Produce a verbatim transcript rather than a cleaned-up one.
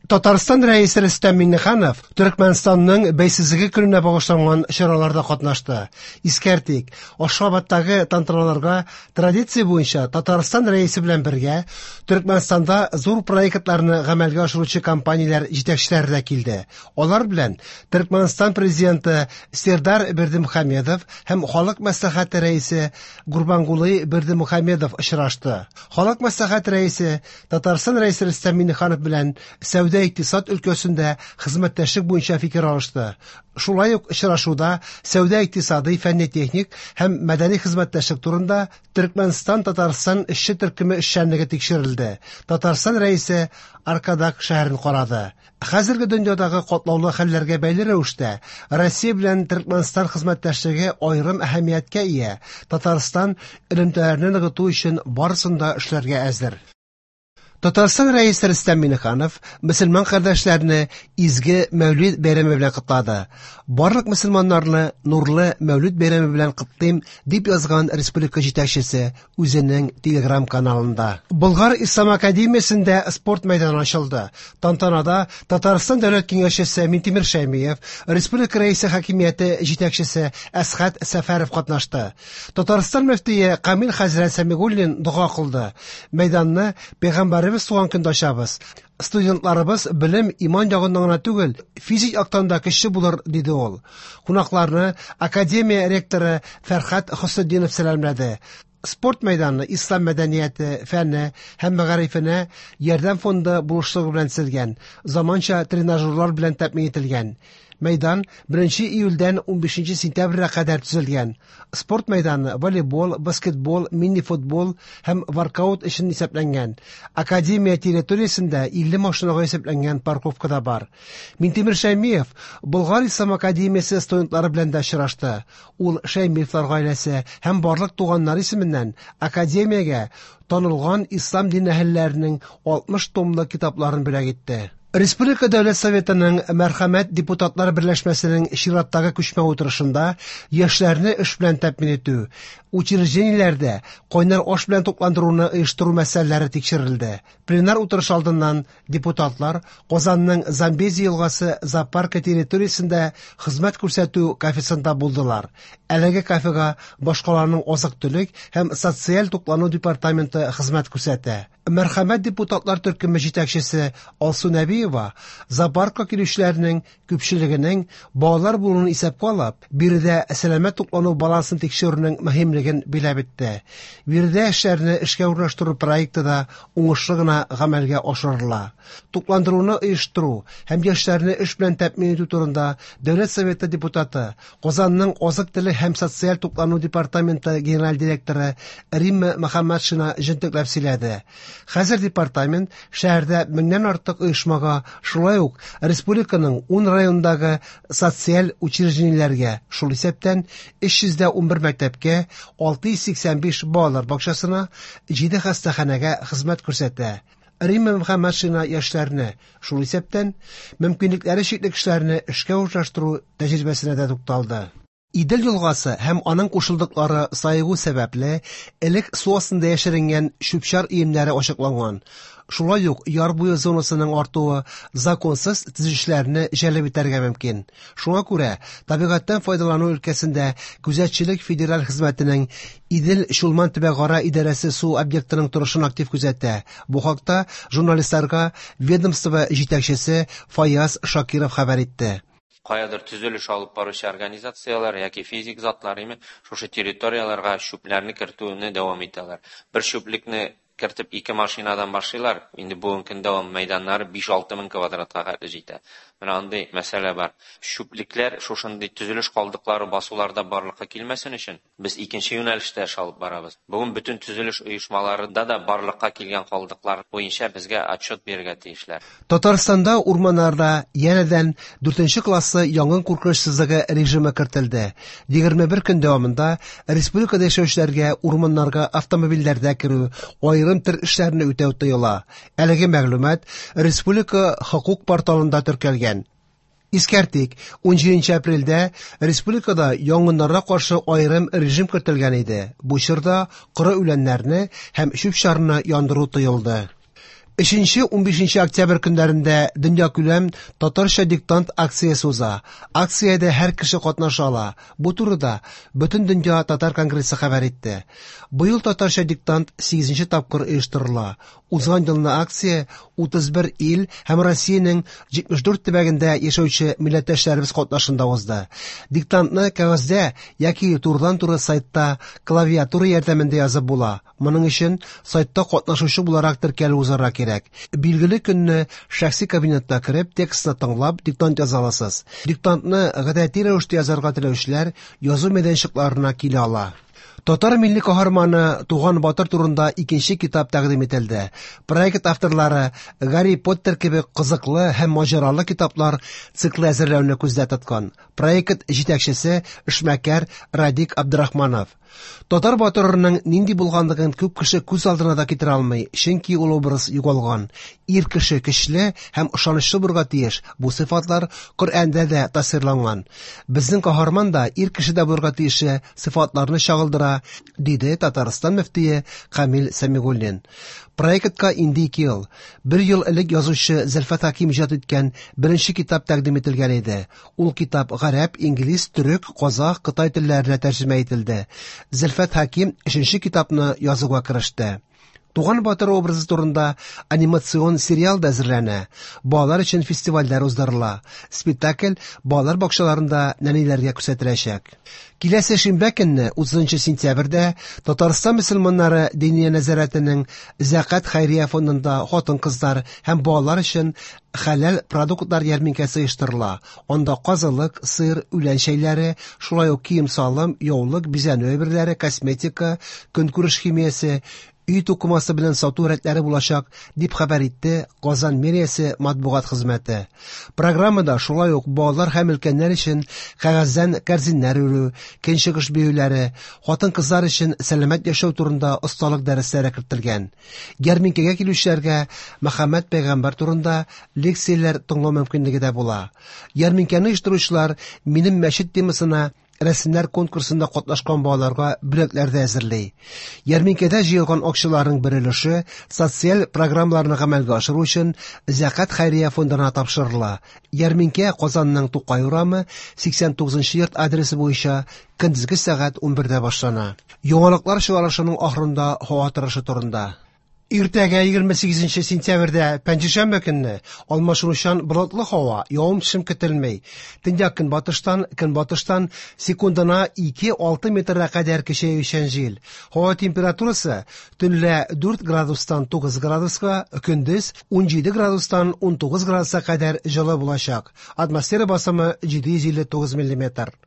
Татарстан Рәисе Рөстәм Миңнеханов Төркмәнстанның бәйсезлеге көненә багышланган чараларда катнашты. Искәртик, Ашхабадтагы тантаналарга традиция буенча Татарстан Рәисе белән бергә Төркмәнстанда зур проектларны гамәлгә ашыручы компанияләр җитәкчеләре дә килде. Алар белән Төркмәнстан президенты Сердар Бердымухамедов һәм Халык Мәслихәте рәисе Гурбангулы Бердымухамедов очрашты. Халык Мәслихәте рәисе Татарстан Рәисе Рөстәм Миңнеханов белән сәүдә икътисад өлкәсендә хезмәттәшлек буенча фикер алышты. Шулай ук очрашуда сәүдә икътисадый, фәнни-техник һәм мәдәни хезмәттәшлек турында Төркмәнстан-Татарстан эшче төркеме эшчәнлеге тикшерелде. Татарстан Рәисе Аркадак шәһәрен карады. Хәзерге дөньядагы катлаулы хәлләргә бәйле рәвештә Россия белән Төркмәнстан хезмәттәшлеге аерым әһәмияткә ия. Татарстан элемтәләрне ныгыту өчен барысын да эшләргә әзер. Татарстан Рәисе Рөстәм Миңнеханов мөселман кардәшләрне изге Мәүлид бәйрәме белән котлады. Барлык мөселманнарны нурлы Мәүлид бәйрәме белән котлыйм, дип язган республика җитәкчесе үзенең Телеграм каналында. Болгар Ислам академиясендә спорт мәйданы ачылды. Тантанада Татарстан Дәүләт Киңәшчесе Минтимер Шәймиев, Республика Рәисе хакимияте җитәкчесе Әсхәт Сәфәров катнашты. Татарстан мөфтие Камил хәзрәт Сәмигуллин дога кылды. Мәйданны пәйгамбәребез туган көндә ачабыз. Студентларыбыз белем, иман ягыннан гына түгел, физик яктан да көчле булыр, диде ул. Кунакларны академия ректоры Фәрхат Хөснетдинов сәламләде. Спорт мәйданы ислам мәдәнияте, фәне һәм мәгарифенә ярдәм фонды булышлыгы белән төзелгән, заманча тренажерлар белән тәэмин ителгән. Мәйдан беренче июльдән унбишенче сентябрьгә кадәр төзелгән. Спорт мәйданы волейбол, баскетбол, мини-футбол һәм воркаут өчен исәпләнгән. Академия территориясендә илле машинага исәпләнгән парковка да бар. Минтимер Шәймиев Болгар Ислам академиясе студентлары белән дә очрашты. Ул Шәймиевлар гаиләсе һәм барлык туганнар исеменнән академиягә танылган ислам дин әһелләренең алтмыш томлы китапларын бүләк итте. Республика Дәүләт Советының Мәрхәмәт депутатлар берләшмәсенең чираттагы күчмә утырышында яшьләрне эш белән тәэмин итү, учреждениеләрдә кайнар аш белән тукландыруны оештыру мәсьәләләре тикшерелде. Пленар утырыш алдыннан депутатлар Казанның Замбези елгасы зоопаркы территориясендә хезмәт күрсәтү кафесында булдылар. Әлеге кафега башкаланың азык-төлек һәм социаль туклану департаменты хезмәт күрсәтә. Мәрхәмәт депутатлар төркеме җитәкчесе Алсу Нәбиева зоопаркка килүчеләрнең күпчелегенең балалар булуын исәпкә алып, биредә сәламәт туклану балансын тикшерүнең мөһимлеген биләп үтте. Биредә эшләрне эшкә урнаштыру проекты да уңышлы гына гамәлгә ашырыла. Тукландыруны оештыру һәм яшьләрне эш белән тәэмин итү турында Дәүләт Советы депутаты, Казанның азык-төлек һәм социаль туклану департаменты генераль директоры Римма Мөхәммәтшина җентекләп сөйләде. Хәзер департамент шәһәрдә меңнән артык оешмага, шулай ук республиканың ун районындагы социаль учреждениеләргә, шул исәптән өч йөз дә унбер мәктәпкә, алты йөз сиксән биш балалар бакчасына, җиде хастаханәгә хезмәт күрсәтә. Римма Мөхәммәтшина яшьләрне, шул исәптән мөмкинлекләре чикле кешеләрне эшкә урнаштыру тәҗрибәсенә дә тукталды. Идел елгасы һәм аның кушылдыклары саегу сәбәпле элек су астында яшеренгән чүп-чар өемнәре ачыкланган. Шулай ук яр буе зонасының артуы законсыз төзүчеләрне җәлеп итәргә мөмкин. Шуңа күрә табигатьтән файдалану өлкәсендә күзәтчелек федераль хезмәтенең Идел Чулман төбәкара идарәсе су объектының торышын актив күзәтә. Бу хакта журналистларга ведомство җитәкчесе Фаяз Шакиров хәбәр итте. Каядыр төзелеш алып баручы организацияләр яки физик затлар име шушы территорияләргә чүпләрне кертүне дәвам итәләр. Бер чүплекне кертеп ике машинадан башлыйлар. Инде бүгенге көндә ул мәйданнары биш-алты мең квадратка хәтле җитә. Менә андый мәсьәлә бар. Чүплекләр шушындый төзелеш калдыклары басуларда барлыкка килмәсен өчен без икенче юнәлештә эш алып барабыз. Бүген бөтен төзелеш оешмаларында да барлыкка килгән калдыклар буенча безгә отчет бирергә тиешләр. Татарстанда урманнарда янәдән дүртенче классы янгын куркынычсызлыгы режимы кертелде. Егерме бер көн дәвамында республикада яшәүчеләргә урманнарга автомобильләрдә керү, аерым төр эшләрне үтәү тыела. Әлеге мәгълүмат республика хокук порталында теркәлгән. Искәртик, унҗиденче апрельдә республикада янгыннарга каршы аерым режим кертелгән иде. Бу чорда коры үләннәрне һәм чүп-чарны яндыру тыелды. Өченче-унбишенче октябрь көннәрендә дөньякүләм «Татарча диктант» акциясе уза. Акциядә һәр кеше катнаша ала. Бу турыда Бөтендөнья татар конгрессы хәбәр итте. Быел «Татарча диктант» сигезенче тапкыр оештырыла. Узган елны акция утыз бер ил һәм Россиянең җитмеш дүрт төбәгендә яшәүче милләттәшләребез катнашында узды. Диктантны кәгазьдә яки турыдан-туры сайтта клавиатура ярдәмендә язып була. Моның өчен сайтта катнашучы буларак теркәлү узарга кирәк. Билгеле көнне шәхси кабинетка кереп, текстны тыңлап, диктант яза аласыз. Диктантны гадәти рәвештә язарга теләүчеләр язу мәйданчыкларына килә ала. Татар милли каһарманы Туган Батыр турында икенче китап тәкъдим ителде. Проект авторлары Гарри Поттер кебек кызыклы һәм маҗаралы китаплар циклы әзерләүне күздә тоткан. Проект җитәкчесе эшмәкәр Радик Абдрахманов. Татар батырының нинди булганлыгын күп кеше күз алдына да китерә алмый, чөнки ул образ югалган. Ир кеше көчле һәм ышанычлы булырга тиеш. Бу сыйфатлар Коръәндә дә тасвирланган. Безнең каһарман да ир кеше дә булырга тиешле сыйфатларны чагылдыра, диде Татарстан мөфтие Камил Сәмигуллин. Проектка инде ике ел. Бер ел элек язучы Зөлфәт Хәким иҗат иткән беренче китап тәкъдим ителгән иде. Ул китап гарәп, инглиз, төрек, казах, кытай телләренә тәрҗемә ителде. Зөлфәт Хәким өченче китапны язуга кереште. Туган Батыр образы турында анимацион сериал да әзерләнә. Балалар өчен фестивальләр уздырыла. Спектакль балалар бакчаларында нәниләргә күрсәтеләчәк. Киләсе шимбә көнне, утызынчы сентябрьдә, Татарстан мөселманнары Диния нәзарәтенең Зәкат хәйрия фондында хатын-кызлар һәм балалар өчен хәләл продуктлар ярминкәсе оештырыла. Анда казылык, сыр, үлән чәйләре, шулай ук кием-салым, яулык, бизәнү әйберләре, косметика, көнкүреш химиясе, өй тукымасы белән сату рәтләре булачак, дип хәбәр итте Казан мэриясе матбугат хезмәте. Программада шулай ук балалар һәм өлкәннәр өчен кәгазьдән кәрзиннәр үрү, көнчыгыш биюләре, хатын-кызлар өчен сәламәт яшәү турында осталык дәресләре кертелгән. Ярминкәгә килүчеләргә Мөхәммәд пәйгамбәр турында лекцияләр тыңлау мөмкинлеге дә була. Ярминкәне оештыручылар «Минем мәчет» темасына рәсемнәр конкурсында катнашкан балаларга бүләкләр дә әзерли. Ярминкәдә җыелган акчаларның бер өлеше социаль программаларны гамәлгә ашыру өчен Зәкат хәйрия фондына тапшырыла. Ярминкә Казанның Тукай урамы сиксән тугызынчы йорт адресы буенча көндезге сәгать унбердә башлана. Яңалыклар чыгарылышының ахырында һава торышы турында. Иртәгә егерме сигезенче сентябрьдә пәнҗешәмбе көнне алмашынучан болытлы һава, явым-төшем көтелми. Төньяк көнбатыштан, көнбатыштан секундына ике алты метрга кадәр көчәючән җил. Һава температурасы төнлә дүрт градустан тугыз градуска, көндез унҗиде градустан унтугыз градуска кадәр җылы булачак. Атмосфера басымы җиде йөз илле тугыз миллиметр.